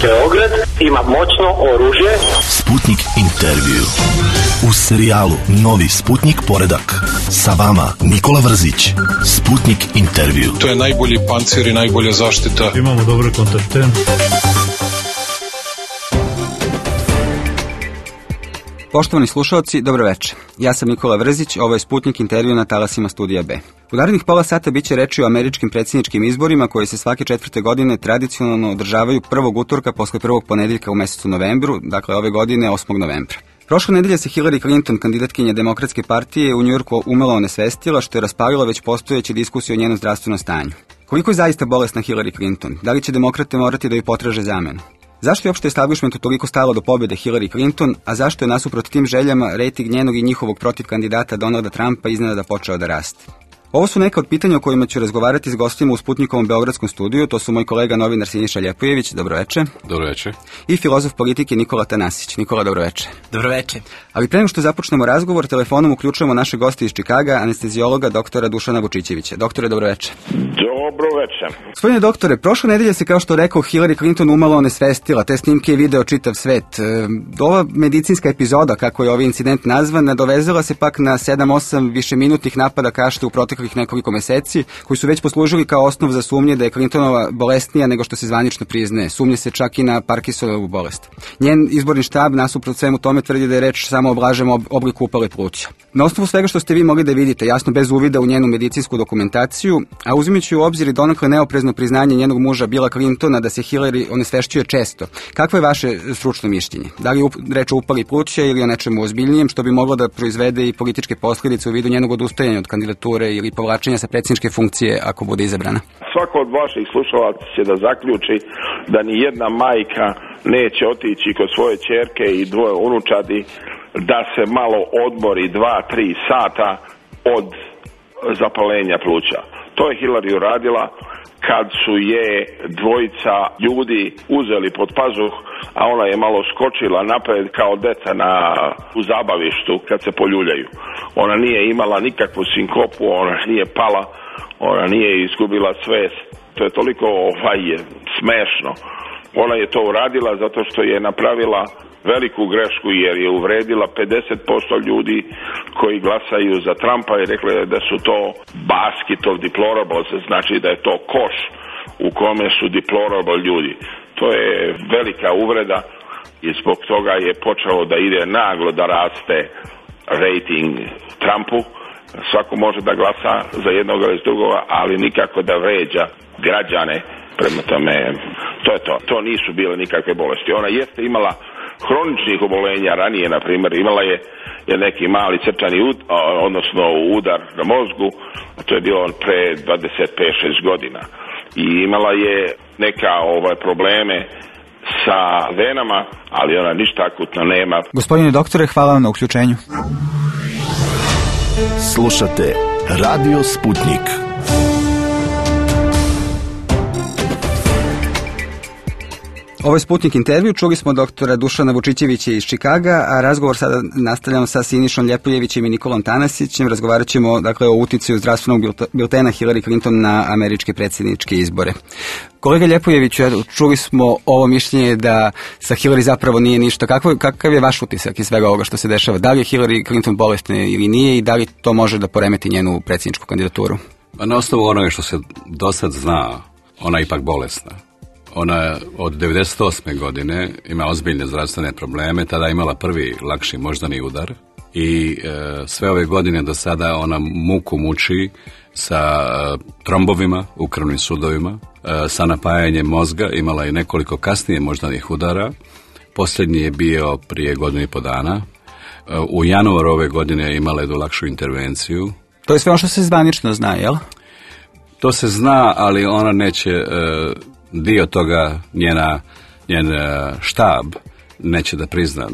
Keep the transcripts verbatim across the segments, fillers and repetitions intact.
Beograd ima moćno oružje. Sputnik intervju. U serijalu Novi Sputnik poredak. Sa vama Nikola Vrzić. Sputnik intervju. To je najbolji pancir i najbolja zaštita. Imamo dobre kontakte. Poštovani slušalci, dobro večer. Ja sam Nikola Vrzić, ovo je Sputnik intervju na talasima Studija B. U narednih pola sata bit će reči o američkim predsjedničkim izborima koji se svake četvrte godine tradicionalno održavaju prvog utorka posle prvog ponedeljka u mesecu novembru, dakle ove godine osmog novembra. Prošle nedelje se Hillary Clinton, kandidatkinja Demokratske partije, u Njujorku umelo onesvestila, što je raspalilo već postojeće diskusije o njenom zdravstvenom stanju. Koliko je zaista bolesna Hillary Clinton? Da li će demokrate morati da ju potraže zamenu? Zašto je uopšte establishmentu toliko stalo do pobjede Hillary Clinton, a zašto je nasuprot tim željama rejting njenog i njihovog protiv kandidata Donalda Trumpa iznenada počeo da raste? Ovo su neka od pitanja o kojima ću razgovarati s gostima u Sputnikovom beogradskom studiju. To su moj kolega novinar Siniša Ljepojević, dobro večer. Dobro večer. I filozof politike Nikola Tanasić. Nikola, dobro večer. Dobro večer. Ali pre nego što započnemo razgovor, telefonom uključujemo naše goste iz Čikaga, anestezijologa doktora Dušana Vučićevića. Doktore, dobro večer. Dobro večer. Gospodine doktore, prošle nedelje se, kao što rekao, Hillary Clinton umalo onesvestila, te snimke je video čitav svet. Ova medicinska epizoda, kako je ovaj incident nazvan, nadovezala se pak na sedam osam višeminutnih napada kašta u proteklih nekoliko meseci, koji su već poslužili kao osnov za sumnje da je Clintonova bolesnija nego što se zvanično priznaje. Sumnje se čak i na Parkinsonovu bolest. Njen izborni štab nasuprot svemu tome tvrdi da je reč samo o blažem obliku upale pluća. Na osnovu svega što ste vi mogli da vidite, jasno bez uvida u njenu medicinsku dokumentaciju, a uzimajući u obzir i donekle neoprezno priznanje njenog muža Billa Clintona da se Hillary onesvešćuje često, kakvo je vaše stručno mišljenje? Da li je reč o upali pluća ili o nečemu ozbiljnijem što bi moglo da proizvede i političke posljedice u vidu njenog odustajanja od kandidature ili povlačenja sa predsjedničke funkcije ako bude izabrana? Svako od vaših slušalaca će da zaključi da ni jedna majka neće otići kod svoje ćerke i dvoje unučadi da se malo odmori dva, tri sata od zapalenja pluća. To je Hillary uradila kad su je dvojica ljudi uzeli pod pazuh, a ona je malo skočila napred kao deca na, u zabavištu kad se poljuljaju. Ona nije imala nikakvu sinkopu, ona nije pala, ona nije izgubila svest. To je toliko ovaj, smešno. Ona je to uradila zato što je napravila veliku grešku jer je uvredila pedeset posto ljudi koji glasaju za Trumpa i rekla je da su to basket of deplorables, znači da je to koš u kome su deplorable ljudi. To je velika uvreda i zbog toga je počeo da ide naglo da raste rating Trumpu. Svako može da glasa za jednog ili drugog, ali nikako da vređa građane. Prema tome, to je to. To nisu bile nikakve bolesti. Ona jeste imala hroničnih obolenja ranije, na primjer, imala je, je neki mali srčani ud, odnosno udar na mozgu, a to je bilo pre dvadeset pet šest godina. I imala je neka ovaj, probleme sa venama, ali ona ništa akutno nema. Gospodine doktore, hvala vam na uključenju. Slušate Radio Sputnik. Ovo je Sputnik intervju, čuli smo doktora Dušana Vučićevića iz Čikaga, a razgovor sada nastavljamo sa Sinišom Ljepojevićem i Nikolom Tanasićem. Razgovarat ćemo dakle, o uticaju zdravstvenog biltena Hillary Clinton na američke predsjedničke izbore. Kolega Ljepojeviću, čuli smo ovo mišljenje da sa Hillary zapravo nije ništa. Kakav, kakav je vaš utisak iz svega ovoga što se dešava? Da li je Hillary Clinton bolesna ili nije i da li to može da poremeti njenu predsjedničku kandidaturu? Na osnovu onoga što se do sad zna, ona je ipak bolesna. Ona od devedeset osme godine ima ozbiljne zdravstvene probleme, tada je imala prvi lakši moždani udar i e, sve ove godine do sada ona muku muči sa e, trombovima u krvnim sudovima, e, sa napajanjem mozga, imala je nekoliko kasnije moždanih udara, posljednji je bio prije godinu i po dana, e, u januaru ove godine imala jednu lakšu intervenciju. To je sve ono što se zvanično zna, jel? To se zna, ali ona neće... E, dio toga njena, njen štab neće da prizna.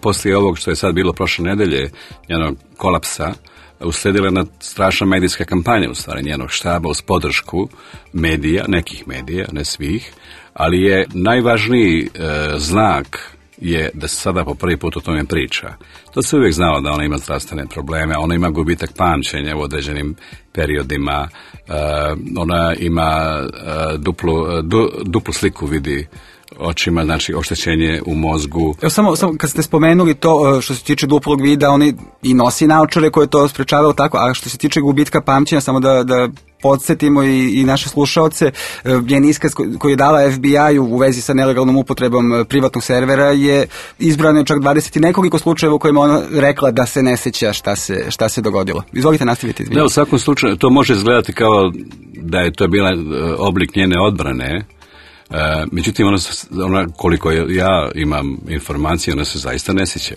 Poslije ovog što je sad bilo prošle nedelje, njenog kolapsa, usledila jedna strašna medijska kampanja u stvari njenog štaba uz podršku medija, nekih medija, ne svih, ali je najvažniji e, znak je da se sada po prvi put o tome priča. To se uvijek znalo da ona ima zdravstvene probleme, ona ima gubitak pamćenja u određenim periodima, uh, ona ima uh, duplu, uh, du, duplu sliku vidi očima, znači oštećenje u mozgu. Evo samo, samo kad ste spomenuli to što se tiče duplog vida, oni i nosi naočare koje to sprečavaju tako, a što se tiče gubitka pamćenja, samo da, da podsjetimo i, i naše slušaoce, njen iskaz koji je dala F B I-u u vezi sa nelegalnom upotrebom privatnog servera je izbrano čak dvadeset i nekoliko slučajeva u kojima ona rekla da se ne sjeća šta se, šta se dogodilo. Izvolite nastaviti. Da, u svakom slučaju to može izgledati kao da je to bila oblik njene odbrane. Uh, međutim, ona, ona, koliko ja imam informacije, ona se zaista ne sjeća.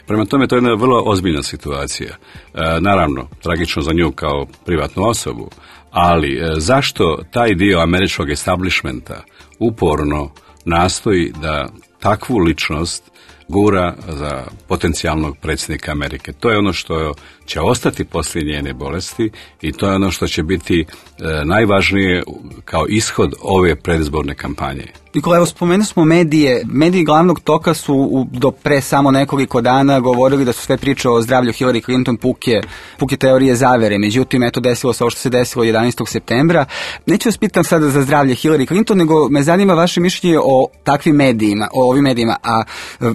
Prema tome, to je jedna vrlo ozbiljna situacija. Uh, naravno, tragično za nju kao privatnu osobu, ali uh, zašto taj dio američkog establishmenta uporno nastoji da takvu ličnost gura za potencijalnog predsjednika Amerike? To je ono što će ostati poslije njene bolesti i to je ono što će biti e, najvažnije kao ishod ove predizborne kampanje. Nikola, evo spomenuli smo medije. Mediji glavnog toka su u, do pre samo nekoliko dana govorili da su sve priče o zdravlju Hillary Clinton puke, puke teorije zavere. Međutim, eto, desilo se ovo što se desilo jedanaestog septembra. Neću vas pitam sada za zdravlje Hillary Clinton, nego me zanima vaše mišljenje o takvim medijima, o ovim medijima. A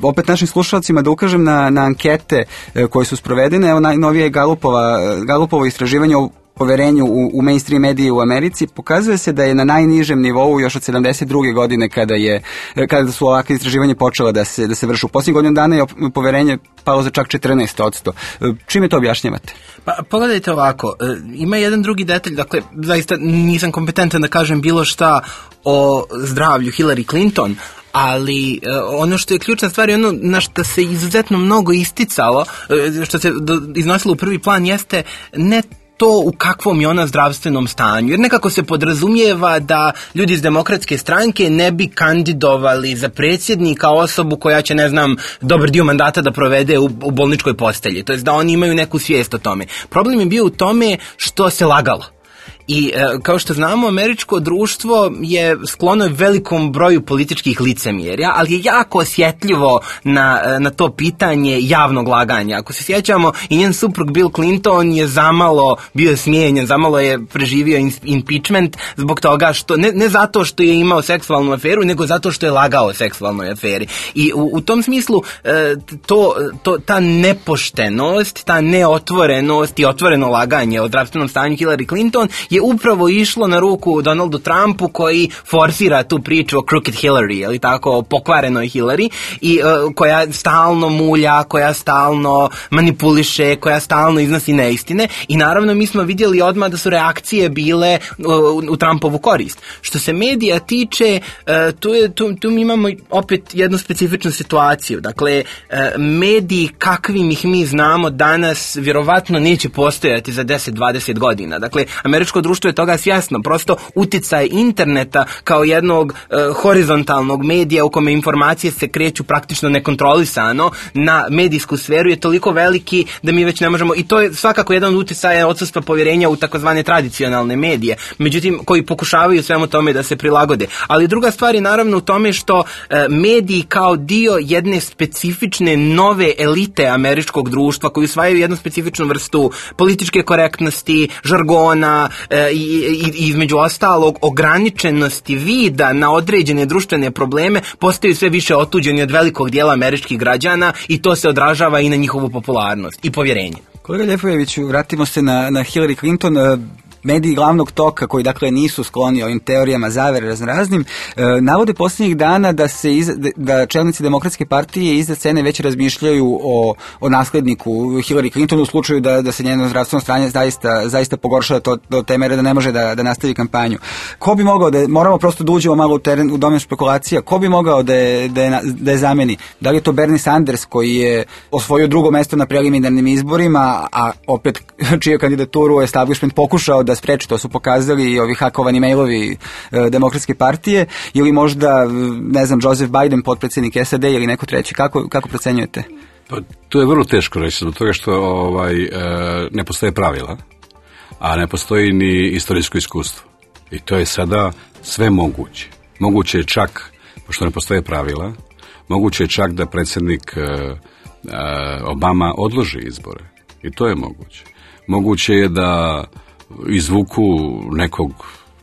opet našim slušalcima da ukažem na, na ankete koje su sprovedene. Evo, najnovije Galupova, Galupovo istraživanje o poverenju u, u mainstream medije u Americi pokazuje se da je na najnižem nivou još od sedamdeset druge godine kada je kada su ovakve istraživanje počela da se da se vrši. U posljednjih godinu dana je poverenje palo za čak četrnaest posto. Čime to objašnjavate? Pa pogledajte ovako, ima jedan drugi detalj, dakle zaista nisam kompetentan da kažem bilo šta o zdravlju Hillary Clinton, ali uh, ono što je ključna stvar i ono na što se izuzetno mnogo isticalo, uh, što se do, iznosilo u prvi plan jeste ne to u kakvom je ona zdravstvenom stanju. Jer nekako se podrazumijeva da ljudi iz demokratske stranke ne bi kandidovali za predsjednika osobu koja će, ne znam, dobar dio mandata da provede u, u bolničkoj postelji. To jest da oni imaju neku svijest o tome. Problem je bio u tome što se lagalo. I e, kao što znamo, američko društvo je sklono velikom broju političkih licemjerja, ali je jako osjetljivo na, na to pitanje javnog laganja. Ako se sjećamo, i njen suprug Bill Clinton je zamalo bio smijenjen, zamalo je preživio impeachment zbog toga što, ne, ne zato što je imao seksualnu aferu, nego zato što je lagao o seksualnoj aferi. I u, u tom smislu e, to, to, ta nepoštenost, ta neotvorenost i otvoreno laganje o zdravstvenom stanju Hillary Clinton je upravo išlo na ruku Donaldu Trumpu koji forsira tu priču o crooked Hillary, ili tako, o pokvarenoj Hillary, i uh, koja stalno mulja, koja stalno manipuliše, koja stalno iznosi neistine, i naravno mi smo vidjeli odmah da su reakcije bile uh, u Trumpovu korist. Što se medija tiče, uh, tu, je, tu, tu mi imamo opet jednu specifičnu situaciju. Dakle, uh, mediji kakvim ih mi znamo danas vjerovatno neće postojati za deset do dvadeset godina. Dakle, američko društvo je toga svjesno. Prosto utjecaj interneta kao jednog e, horizontalnog medija u kome informacije se kreću praktično nekontrolisano na medijsku sferu je toliko veliki da mi već ne možemo, i to je svakako jedan od utjecaja odsustva povjerenja u takozvane tradicionalne medije, međutim koji pokušavaju svemu tome da se prilagode. Ali druga stvar je naravno u tome što e, mediji kao dio jedne specifične nove elite američkog društva koji usvajaju jednu specifičnu vrstu političke korektnosti, žargona, e, i, i, i između ostalog ograničenosti vida na određene društvene probleme postaju sve više otuđeni od velikog dijela američkih građana i to se odražava i na njihovu popularnost i povjerenje. Kolega Ljepojeviću, vratimo se na, na Hillary Clinton. Mediji glavnog toka, koji dakle nisu skloni ovim teorijama zavere raznoraznim, e, navode posljednjih dana da se iz, da čelnici demokratske partije iza scene već razmišljaju o, o nasledniku Hillary Clinton u slučaju da, da se njeno zdravstveno stanje zaista, zaista pogorša to, do te mere da ne može da, da nastavi kampanju. Ko bi mogao da, moramo prosto da uđemo malo u teren, u domen špekulacija, ko bi mogao da je, da je, da je zameni? Da li je to Bernie Sanders koji je osvojio drugo mesto na preliminarnim izborima, a opet čiju kandidaturu establishment pokušao da spreči, to su pokazali i ovi hakovani mailovi e, demokratske partije, ili možda, ne znam, Joseph Biden, potpredsjednik S A D, ili neko treći. Kako, kako procenjujete? Pa, to je vrlo teško reći, zbog toga što ovaj, e, ne postoje pravila, a ne postoji ni istorijsko iskustvo. I to je sada sve moguće. Moguće je čak, pošto ne postoje pravila, Moguće je čak da predsjednik Obama odloži izbore. I to je moguće. Moguće je da izvuku nekog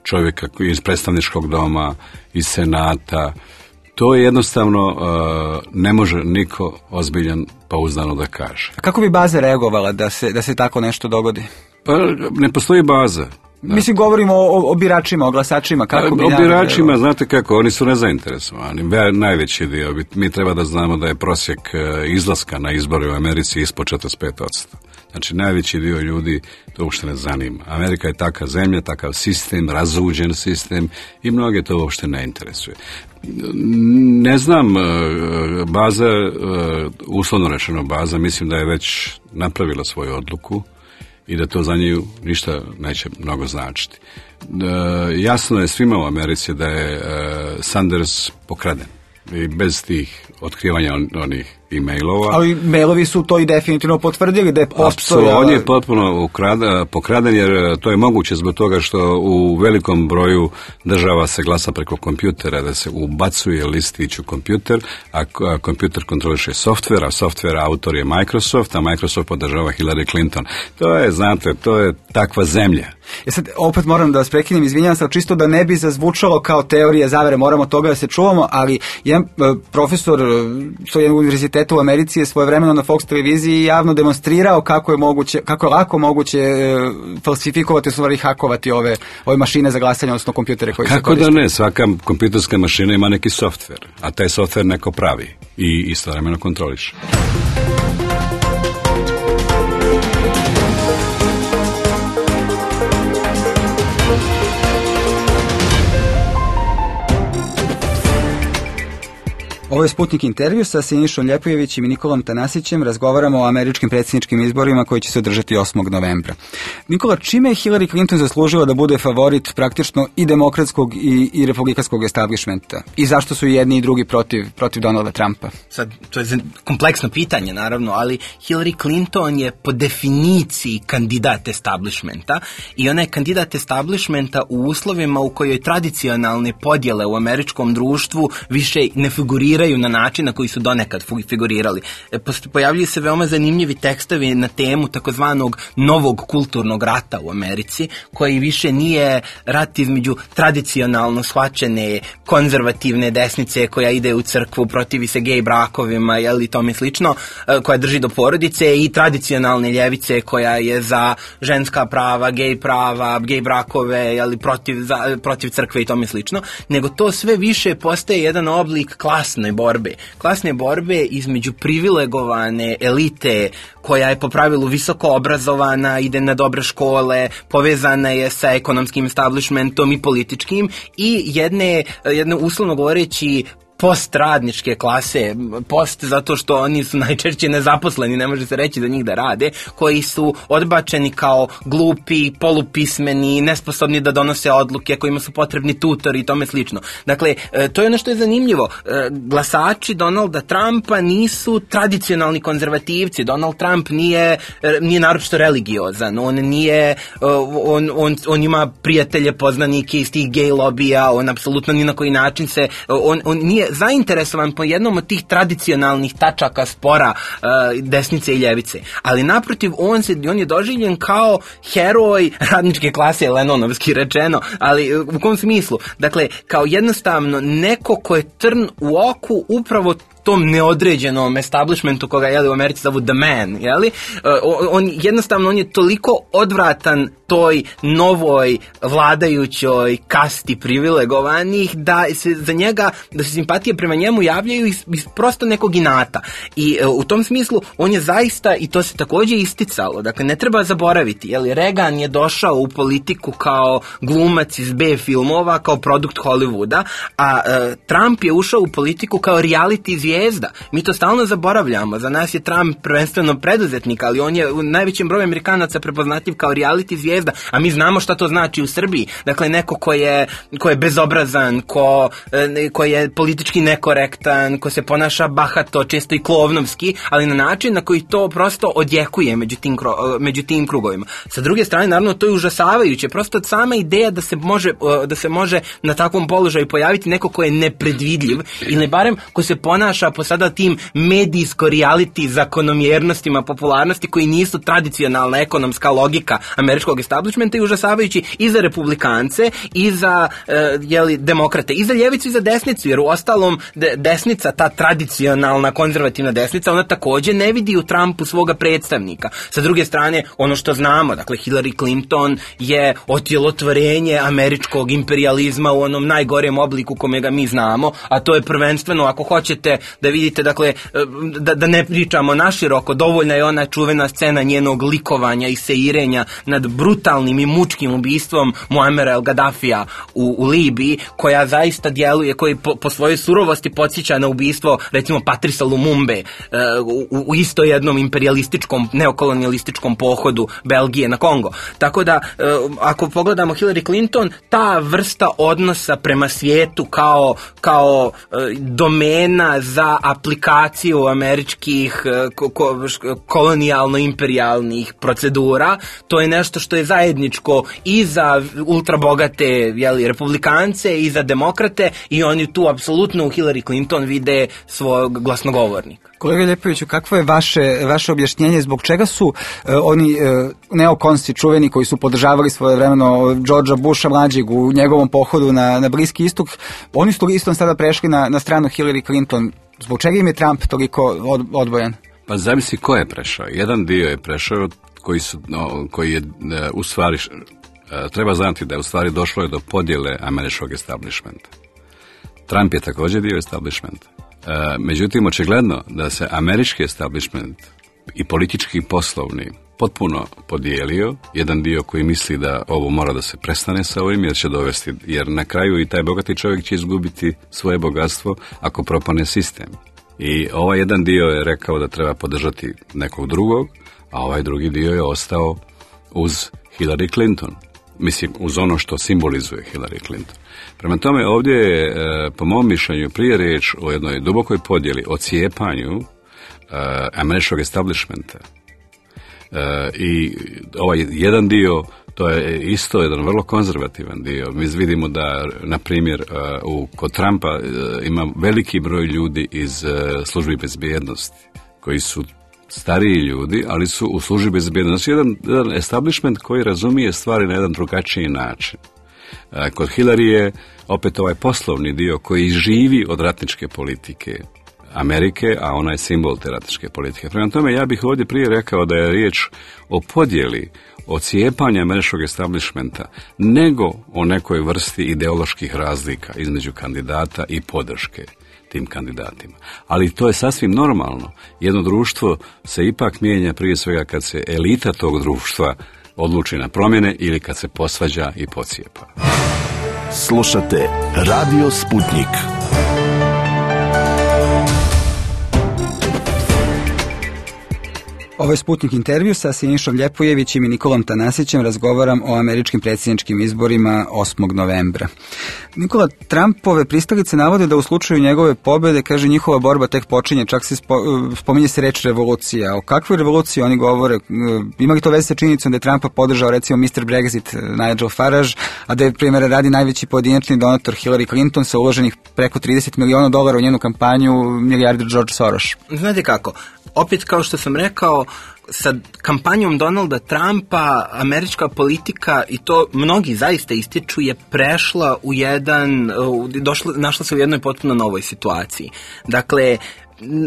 čovjeka iz predstavničkog doma, iz senata. To je jednostavno ne može niko ozbiljan pouzdano da kaže. A kako bi baza reagovala da se, da se tako nešto dogodi? Pa ne postoji baza. Da. Mislim, govorimo o, o biračima, o glasačima. Kako bi o biračima, znate kako, oni su nezainteresovani. Najveći dio, mi treba da znamo da je prosjek izlaska na izbore u Americi ispod četrdeset pet posto. Znači, najveći dio ljudi to uopšte ne zanima. Amerika je taka zemlja, takav sistem, razuđen sistem i mnoge to uopšte ne interesuje. Ne znam, baza, uslovno rečeno baza, mislim da je već napravila svoju odluku i da to za nju ništa neće mnogo značiti. Jasno je svima u Americi da je Sanders pokraden i bez tih otkrivanja on, onih e-mailova. Ali mailovi su to i definitivno potvrdili da je postojao. On je potpuno ukrada, pokraden jer to je moguće zbog toga što u velikom broju država se glasa preko kompjutera, da se ubacuje listić u kompjuter, a kompjuter kontroliše softver, a softver autor je Microsoft, a Microsoft podržava Hillary Clinton. To je, znate, to je takva zemlja. Ja sad opet moram da vas prekinem, izvinjavam se, čisto da ne bi zazvučalo kao teorija zavere, moramo toga da se čuvamo, ali jedan profesor s jednog univerziteta u Americi je svojevremeno na Fox televiziji javno demonstrirao kako je moguće, kako je lako moguće e, falsifikovati, u stvari hakovati ove, ove mašine za glasanje, odnosno kompjutere koji kako se koriste. Kako da ne, svaka kompjuterska mašina ima neki softver, a taj softver neko pravi i istovremeno kontroliše. Ovo je Sputnik intervju sa Sinišom Ljepojevićem i Nikolom Tanasićem. Razgovaramo o američkim predsjedničkim izborima koji će se održati osmog novembra. Nikola, čime je Hillary Clinton zaslužila da bude favorit praktično i demokratskog i, i republikanskog establishmenta? I zašto su i jedni i drugi protiv, protiv Donalda Trumpa? Sad, to je kompleksno pitanje, naravno, ali Hillary Clinton je po definiciji kandidat establishmenta i ona je kandidat establishmenta u uslovima u kojoj tradicionalne podjele u američkom društvu više ne figuriraju na način na koji su donekad figurirali. Pojavljuju se veoma zanimljivi tekstovi na temu takozvanog novog kulturnog rata u Americi, koji više nije rat između tradicionalno shvaćene konzervativne desnice koja ide u crkvu, protivi se gej brakovima, jel, i tome slično, koja drži do porodice, i tradicionalne ljevice koja je za ženska prava, gej prava, gej brakove, jel, protiv, za, protiv crkve i tome slično, nego to sve više postaje jedan oblik klasne borbe. Klasne borbe između privilegovane elite koja je po pravilu visoko obrazovana, ide na dobre škole, povezana je sa ekonomskim establishmentom i političkim, i jedne, jedne uslovno govoreći postradničke klase, post zato što oni su najčešće nezaposleni, ne može se reći za njih da rade, koji su odbačeni kao glupi, polupismeni, nesposobni da donose odluke, kojima su potrebni tutori i tome slično. Dakle, to je ono što je zanimljivo. Glasači Donalda Trumpa nisu tradicionalni konzervativci. Donald Trump nije, nije naročito religiozan. On nije, on, on, on ima prijatelje, poznanike iz tih gej lobija, on apsolutno ni na koji način se, on, on nije zainteresovan po jednom od tih tradicionalnih tačaka spora uh, desnice i ljevice. Ali naprotiv, on, se, on je doživljen kao heroj radničke klase, Lennonovski rečeno, ali u kom smislu? Dakle, kao jednostavno neko ko je trn u oku upravo tom neodređenom establishmentu koga, jeli, u Americi zovu the man, jeli? Uh, on, jednostavno, on je toliko odvratan toj novoj vladajućoj kasti privilegovanih da se za njega, da se simpatije prema njemu javljaju iz, iz prosto nekog inata. I uh, u tom smislu on je zaista, i to se također isticalo, dakle ne treba zaboraviti, jeli, Reagan je došao u politiku kao glumac iz B filmova, kao produkt Hollywooda, a uh, Trump je ušao u politiku kao reality zvijezda. Mi to stalno zaboravljamo. Za nas je Trump prvenstveno preduzetnik, ali on je u najvećem broju Amerikanaca prepoznatljiv kao reality zvijezda, a mi znamo šta to znači u Srbiji. Dakle, neko ko je, ko je bezobrazan, ko, ko je politički nekorektan, ko se ponaša bahato, često i klovnovski, ali na način na koji to prosto odjekuje među tim, među tim krugovima. Sa druge strane, naravno, to je užasavajuće. Prosto sama ideja da se može, da se može na takvom položaju pojaviti neko ko je nepredvidljiv ili barem ko se ponaša ponaša po sada tim medijsko-reality zakonomjernostima popularnosti koji nisu tradicionalna ekonomska logika američkog establishmenta i užasavajući i za republikance i za uh, jeli, demokrate, i za ljevicu i za desnicu, jer u ostalom de, desnica, ta tradicionalna konzervativna desnica, ona također ne vidi u Trumpu svoga predstavnika. Sa druge strane, ono što znamo, dakle Hillary Clinton je otjelotvorenje američkog imperijalizma u onom najgorem obliku kome ga mi znamo, a to je prvenstveno, ako hoćete da vidite, dakle, da, da ne pričamo naširoko, dovoljna je ona čuvena scena njenog likovanja i seirenja nad brutalnim i mučkim ubistvom Muamera el-Gaddafija u, u Libiji, koja zaista djeluje, koji po, po svojoj surovosti podsjeća na ubistvo, recimo, Patrisa Lumumbe uh, u, u isto jednom imperijalističkom, neokolonijalističkom pohodu Belgije na Kongo. Tako da, uh, ako pogledamo Hillary Clinton, ta vrsta odnosa prema svijetu kao, kao uh, domena za aplikaciju američkih uh, ko, ko, kolonijalno-imperijalnih procedura, to je nešto što je zajedničko i za ultrabogate, jeli, republikance i za demokrate, i oni tu apsolutno u Hillary Clinton vide svog glasnogovornika. Kolega Ljepoviću, kakvo je vaše, vaše objašnjenje zbog čega su uh, oni uh, neokonsi čuveni koji su podržavali svojevremeno Georgea Busha mlađeg u njegovom pohodu na, na Bliski istok, oni su istom sada prešli na, na stranu Hillary Clinton. Zbog čega im je Trump toliko od, odbojan? Pa zamisli ko je prešao. Jedan dio je prešao koji, su, no, koji je uh, u stvari, uh, treba znati da je u stvari došlo je do podjele američkog establishmenta. Trump je također dio establishmenta. E, međutim, očigledno da se američki establishment i politički i poslovni potpuno podijelio. Jedan dio koji misli da ovo mora da se prestane sa ovim, jer će dovesti, jer na kraju i taj bogati čovjek će izgubiti svoje bogatstvo ako propane sistem. I ovaj jedan dio je rekao da treba podržati nekog drugog, a ovaj drugi dio je ostao uz Hillary Clinton. Mislim, uz ono što simbolizuje Hillary Clinton. Prema tome, ovdje je, e, po mom mišljenju, prije riječ o jednoj dubokoj podjeli, o cijepanju e, američkog establishmenta. E, I ovaj jedan dio, to je isto jedan vrlo konzervativan dio. Mi vidimo da, na primjer, e, u, kod Trumpa e, ima veliki broj ljudi iz e, službi bezbjednosti, koji su stariji ljudi, ali su u službi bezbjednosti. Jedan, jedan establishment koji razumije stvari na jedan drugačiji način. Kod Hillary je opet ovaj poslovni dio koji živi od ratničke politike Amerike, a ona je simbol te ratničke politike. Prema tome, ja bih ovdje prije rekao da je riječ o podjeli, o cijepanju američkog establishmenta, nego o nekoj vrsti ideoloških razlika između kandidata i podrške tim kandidatima. Ali to je sasvim normalno. Jedno društvo se ipak mijenja prije svega kad se elita tog društva odluči na promjene ili kad se posvađa i pocijepa. Slušate Radio Sputnik. Ovo je Sputnik intervju sa Sinišom Ljepojevićem i Nikolom Tanasićem. Razgovaram o američkim predsjedničkim izborima osmog novembra. Nikola, Trumpove pristalice navode da u slučaju njegove pobjede, kaže, njihova borba tek počinje, čak se spo, spominje se reč revolucija. O kakvoj revoluciji oni govore? Ima li to veze sa činjenicom da je Trumpa podržao, recimo, mister Brexit Nigel Farage, a da je, primjer radi, najveći pojedinačni donator Hillary Clinton sa uloženih preko trideset miliona dolara u njenu kampanju milijarder George Soros? Znate kako, opet kao što sam rekao, sa kampanjom Donalda Trumpa američka politika, i to mnogi zaista ističu, je prešla u jedan, došla, našla se u jednoj potpuno novoj situaciji. Dakle,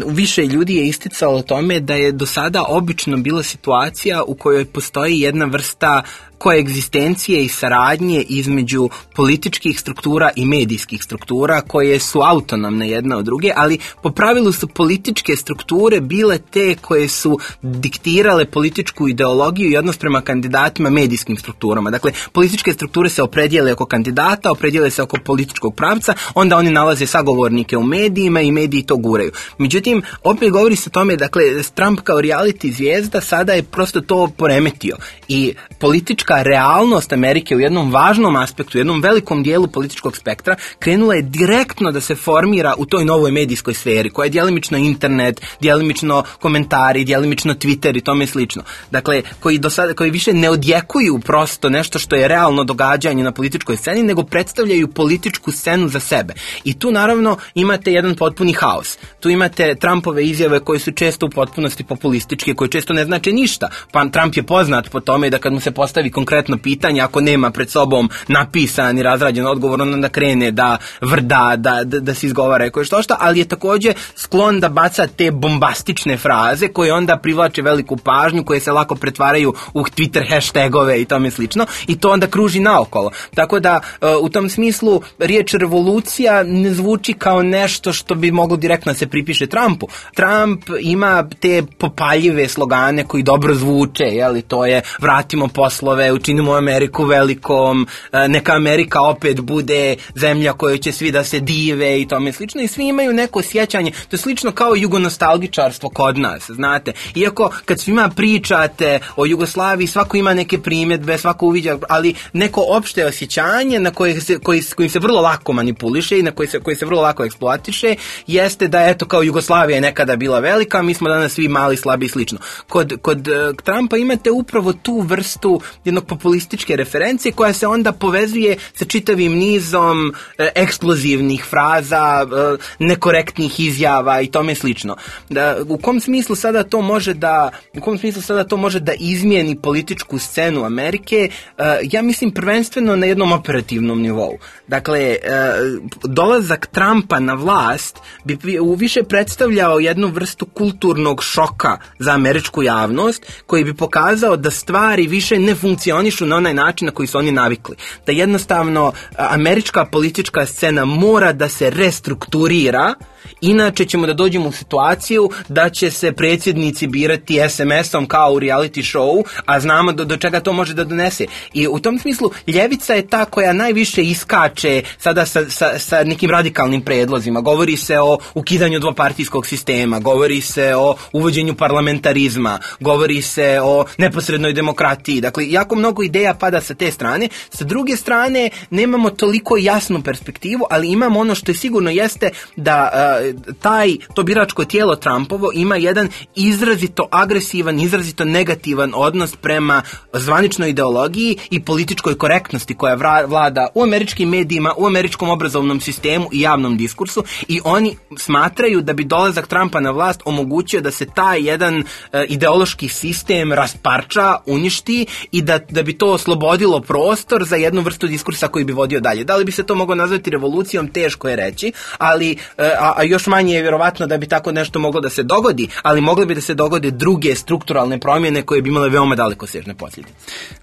više ljudi je isticalo tome da je do sada obično bila situacija u kojoj postoji jedna vrsta koegzistencije i saradnje između političkih struktura i medijskih struktura koje su autonomne jedna od druge, ali po pravilu su političke strukture bile te koje su diktirale političku ideologiju i odnos prema kandidatima medijskim strukturama. Dakle, političke strukture se opredijele oko kandidata, opredijele se oko političkog pravca, onda oni nalaze sagovornike u medijima i mediji to guraju. Međutim, opet govori se o tome, dakle, Trump kao reality zvijezda sada je prosto to poremetio i politička politička realnost Amerike u jednom važnom aspektu, u jednom velikom dijelu političkog spektra krenula je direktno da se formira u toj novoj medijskoj sferi, koja je djelimično internet, djelimično komentari, djelimično Twitter i tome slično. Dakle, koji, do sada, koji više ne odjekuju prosto nešto što je realno događanje na političkoj sceni, nego predstavljaju političku scenu za sebe. I tu naravno imate jedan potpuni haos. Tu imate Trumpove izjave koje su često u potpunosti populističke, koje često ne znače ništa. Pa Trump je poznat po tome da kad mu se postavi konkretno pitanje, ako nema pred sobom napisan i razrađen odgovor, onda krene da vrda, da, da, da se izgovara koje što šta, ali je također sklon da baca te bombastične fraze koje onda privlače veliku pažnju, koje se lako pretvaraju u Twitter hashtagove i tome slično, i to onda kruži naokolo. Tako da u tom smislu riječ revolucija ne zvuči kao nešto što bi moglo direktno se pripiše Trumpu. Trump ima te popaljive slogane koji dobro zvuče, jeli, to je vratimo poslove, učinimo Ameriku velikom, neka Amerika opet bude zemlja kojoj će svi da se dive i tome slično, i svi imaju neko sjećanje. To je slično kao jugonostalgičarstvo kod nas, znate. Iako kad svima pričate o Jugoslaviji, svako ima neke primjedbe, svako uviđa, ali neko opšte osjećanje na koje se, koji, kojim se vrlo lako manipuliše i na koji se, koji se vrlo lako eksploatiše, jeste da eto kao Jugoslavija je nekada bila velika, mi smo danas svi mali, slabi i slično. Kod, kod uh, Trumpa imate upravo tu vrstu jednog populističke referencije koja se onda povezuje sa čitavim nizom uh, eksplozivnih fraza, uh, nekorektnih izjava i tome slično. Da, u kom smislu sada to može da u kom smislu sada to može da izmijeni političku scenu Amerike? Uh, ja mislim prvenstveno na jednom operativnom nivou. Dakle, uh, dolazak Trumpa na vlast bi više predstavljao jednu vrstu kulturnog šoka za američku javnost, koji bi pokazao da stvari više ne funkcionišu na onaj način na koji su oni navikli. Da jednostavno američka politička scena mora da se restrukturira, inače ćemo da dođemo u situaciju da će se predsjednici birati es em esom kao u reality show, a znamo do, do čega to može da donese. I u tom smislu ljevica je ta koja najviše iskače sada sa, sa, sa nekim radikalnim predlozima. Govori se o ukidanju dvopartijskog sistema, govori se o uvođenju parlamentarizma, govori se o neposrednoj demokratiji. Dakle, jako mnogo ideja pada sa te strane. Sa druge strane, nemamo toliko jasnu perspektivu, ali imamo ono što je sigurno jeste da uh, taj, to biračko tijelo Trumpovo ima jedan izrazito agresivan, izrazito negativan odnos prema zvaničnoj ideologiji i političkoj korektnosti koja vlada u američkim medijima, u američkom obrazovnom sistemu i javnom diskursu, i oni smatraju da bi dolazak Trumpa na vlast omogućio da se taj jedan uh, ideološki sistem rasparča, uništi i da, da bi to oslobodilo prostor za jednu vrstu diskursa koji bi vodio dalje. Da li bi se to moglo nazvati revolucijom, teško je reći, ali uh, a, a još manje je vjerovatno da bi tako nešto moglo da se dogodi, ali mogle bi da se dogode druge strukturalne promjene koje bi imale veoma dalekosežne posljedice.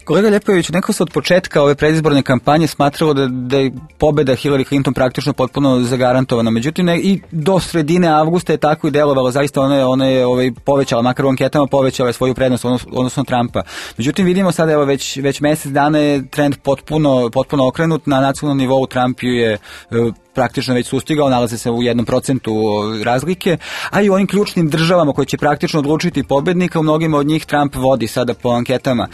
Kolega Ljepojević, neko se od početka ove predizborne kampanje smatralo da, da je pobjeda Hillary Clinton praktično potpuno zagarantovana. Međutim, ne, i do sredine avgusta je tako i delovalo. Zaista ona je, ona je ovaj, povećala, makar u anketama povećala je svoju prednost, odnosno Trumpa. Međutim, vidimo sada, evo, već, već mjesec dana je trend potpuno, potpuno okrenut. Na nacionalnom nivou Trump ju je praktično već sustigao, nalaze se u jednom procentu razlike, a i u onim ključnim državama koje će praktično odlučiti pobjednika, u mnogima od njih Trump vodi sada po anketama.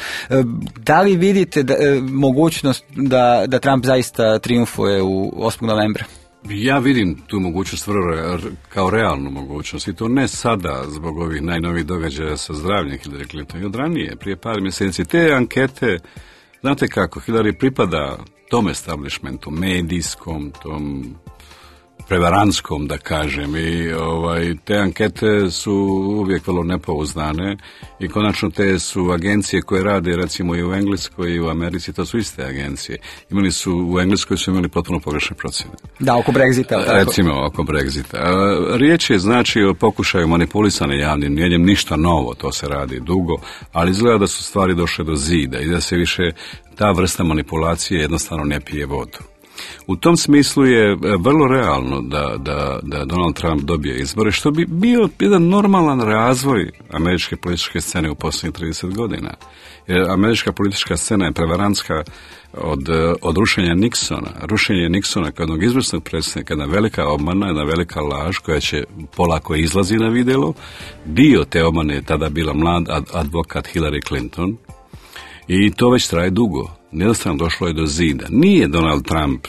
Da li vidite da, mogućnost da, da Trump zaista triumfuje u osmog novembra? Ja vidim tu mogućnost vrlo kao realnu mogućnost, i to ne sada zbog ovih najnovih događaja sa zdravljem Hillary Clinton, i od ranije, prije par mjeseci. Te ankete, znate kako, Hillary pripada tom establishmentu, medijskom, tom prevarantskom, da kažem, i ovaj, te ankete su uvijek vrlo nepouzdane i konačno te su agencije koje rade recimo i u Engleskoj i u Americi, to su iste agencije. Imali su, u Engleskoj su imali potpuno pogrešne procjene. Da, oko Brexita. Tako. Recimo, oko Brexita. Riječ je znači o pokušaju manipulisane javnim mnijenjem, ništa novo, to se radi dugo, ali izgleda da su stvari došle do zida i da se više ta vrsta manipulacije jednostavno ne pije vodu. U tom smislu je vrlo realno da, da, da Donald Trump dobije izbore, što bi bio jedan normalan razvoj američke političke scene u posljednjih trideset godina. Jer američka politička scena je prevarantska od, od rušenja Nixona. Rušenje Nixona kao jednog izvrsnog predsjednika, jedna velika obmana, jedna velika laž koja će polako izlazi na vidjelo. Dio te obmane je tada bila mlad advokat Hillary Clinton. I to već traje dugo. Jednostavno došlo je do zida. Nije Donald Trump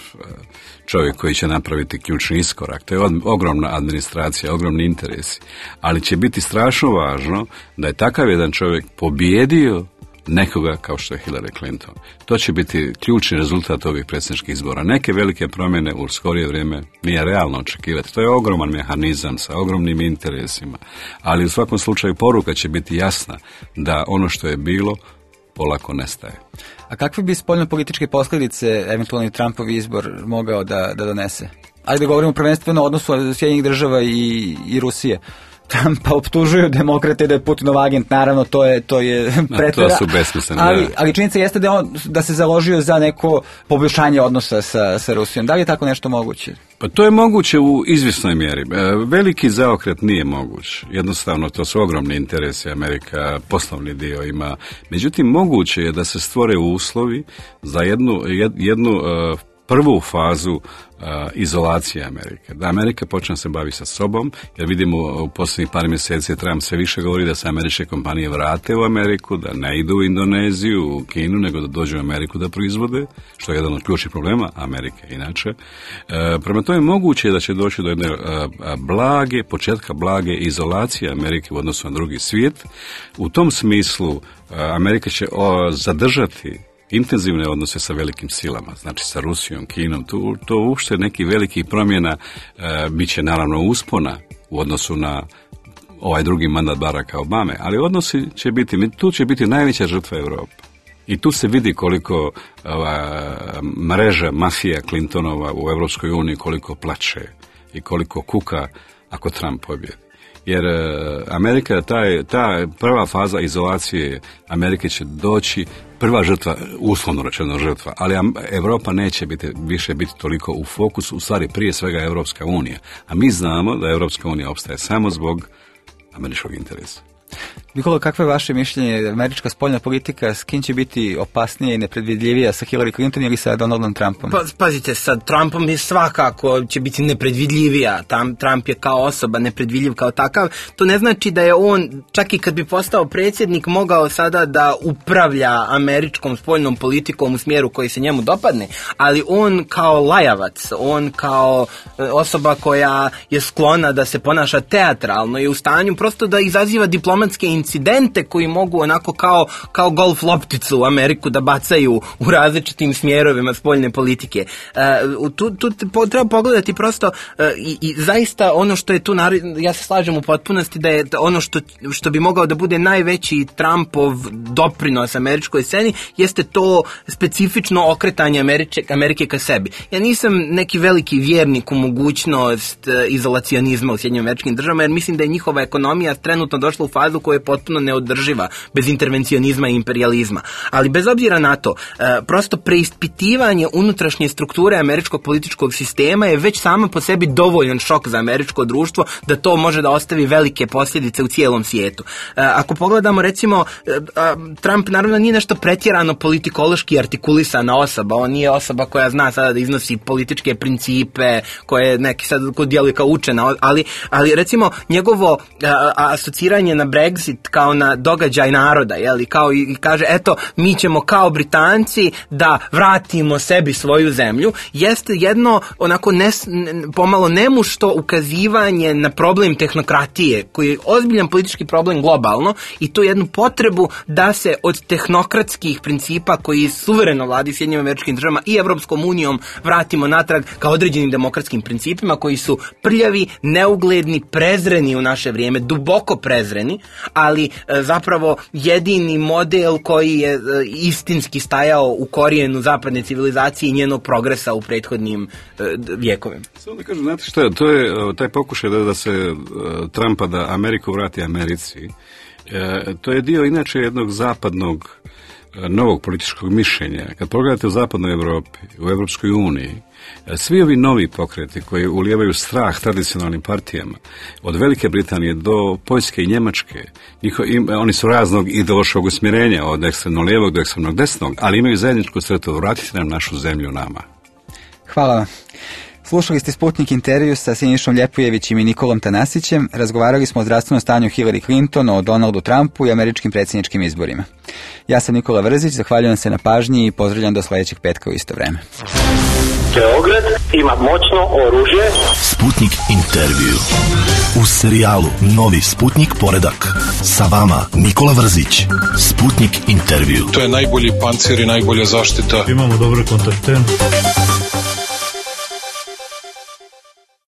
čovjek koji će napraviti ključni iskorak. To je ogromna administracija, ogromni interesi. Ali će biti strašno važno da je takav jedan čovjek pobjedio nekoga kao što je Hillary Clinton. To će biti ključni rezultat ovih predsjedničkih izbora. Neke velike promjene u skorije vrijeme nije realno očekivati. To je ogroman mehanizam sa ogromnim interesima. Ali u svakom slučaju poruka će biti jasna da ono što je bilo polako nestaje. A kakve bi spoljno-političke posljedice eventualni Trumpov izbor mogao da, da donese? Ajde govorimo prvenstveno o odnosu Sjedinjenih država i, i Rusije. Trumpa optužuju demokrate da je Putinov agent, naravno to je to je pretvora. To su besmislene. Ali, ali činjenica jeste da on da se založio za neko poboljšanje odnosa sa, sa Rusijom. Da li je tako nešto moguće? Pa to je moguće u izvjesnoj mjeri. Veliki zaokret nije moguć. Jednostavno to su ogromni interesi. Amerika poslovni dio ima. Međutim, moguće je da se stvore uslovi za jednu, jednu prvu fazu uh, izolacije Amerike. Da Amerika počne se bavi sa sobom, jer vidimo u posljednjih par mjeseci Trump sve više govori da se američke kompanije vrate u Ameriku, da ne idu u Indoneziju, u Kinu, nego da dođu u Ameriku da proizvode, što je jedan od ključnih problema Amerike inače. Uh, prema tome moguće je da će doći do jedne uh, blage, početka blage izolacije Amerike u odnosu na drugi svijet. U tom smislu uh, Amerika će uh, zadržati intenzivne odnose sa velikim silama, znači sa Rusijom, Kinom, to, to uopšte neki veliki promjena e, bit će naravno uspona u odnosu na ovaj drugi mandat Baracka Obame, ali odnosi će biti, tu će biti najveća žrtva Europe. I tu se vidi koliko ova mreža mafija Clintonova u Europskoj uniji koliko plače i koliko kuka ako Trump pobjedi. Jer Amerika, taj, ta prva faza izolacije Amerike će doći, prva žrtva, uslovno rečeno žrtva, ali Europa neće biti, više biti toliko u fokusu, u stvari prije svega Europska unija. A mi znamo da Europska unija opstaje samo zbog američkog interesa. Nikola, kakvo je vaše mišljenje? Američka spoljna politika s kim će biti opasnija i nepredvidljivija, sa Hillary Clinton ili sa Donaldom Trumpom? Pa, pazite, sa Trumpom je svakako će biti nepredvidljivija. Tam, Trump je kao osoba nepredvidljiv kao takav. To ne znači da je on, čak i kad bi postao predsjednik, mogao sada da upravlja američkom spoljnom politikom u smjeru koji se njemu dopadne, ali on kao lajavac, on kao osoba koja je sklona da se ponaša teatralno, je u stanju prosto da izaziva diplomatske incidente koji mogu onako kao, kao golf lopticu u Ameriku da bacaju u različitim smjerovima spoljne politike. Uh, tu, tu treba pogledati prosto uh, i, i zaista ono što je tu, ja se slažem u potpunosti da je ono što, što bi mogao da bude najveći Trumpov doprinos američkoj sceni jeste to specifično okretanje Amerike, Amerike ka sebi. Ja nisam neki veliki vjernik u mogućnost uh, izolacionizma u Sjedinjenim Američkim Državama, jer mislim da je njihova ekonomija trenutno došla u fazu koja je potpuno neodrživa bez intervencionizma i imperializma. Ali bez obzira na to, prosto preispitivanje unutrašnje strukture američkog političkog sistema je već sama po sebi dovoljan šok za američko društvo da to može da ostavi velike posljedice u cijelom svijetu. Ako pogledamo, recimo, Trump naravno nije nešto pretjerano politikološki artikulisana osoba, on nije osoba koja zna sada da iznosi političke principe, koje neki sad djeluje kao učena, ali, ali recimo njegovo asociranje na Brexit kao na događaj naroda, jeli, kao i kaže, eto, mi ćemo kao Britanci da vratimo sebi svoju zemlju, jeste jedno onako nes, pomalo nemušto ukazivanje na problem tehnokratije, koji je ozbiljan politički problem globalno, i to jednu potrebu da se od tehnokratskih principa koji suvereno vladi Sjedinjenim Američkim Državama i Evropskom unijom vratimo natrag ka određenim demokratskim principima koji su prljavi, neugledni, prezreni u naše vrijeme, duboko prezreni, ali e, zapravo jedini model koji je e, istinski stajao u korijenu zapadne civilizacije i njenog progresa u prethodnim e, vjekovima. Samo da kažem, znate što je, to je taj pokušaj da, da se e, Trumpa da Ameriku vrati Americi, e, to je dio inače jednog zapadnog e, novog političkog mišljenja. Kad pogledate u zapadnoj Europi, u Europskoj uniji, svi ovi novi pokreti koji ulijevaju strah tradicionalnim partijama, od Velike Britanije do Poljske i Njemačke, njiho, im, oni su raznog ideološkog usmjerenja, od ekstremno lijevog do ekstremno desnog, ali imaju zajedničku sretu, vratiti nam našu zemlju nama. Hvala. Slušali ste Sputnik intervju sa Sinišom Ljepojevićem i Nikolom Tanasićem. Razgovarali smo o zdravstvenom stanju Hillary Clinton, o Donaldu Trumpu i američkim predsjedničkim izborima. Ja sam Nikola Vrzić, zahvaljujem se na pažnji i pozdravljam do sljedećeg petka u isto vreme. Beograd ima moćno oružje. Sputnik intervju. U serijalu Novi Sputnik poredak. Sa vama Nikola Vrzić. Sputnik intervju. To je najbolji pancir i najbolja zaštita. Imamo dobre kontakte.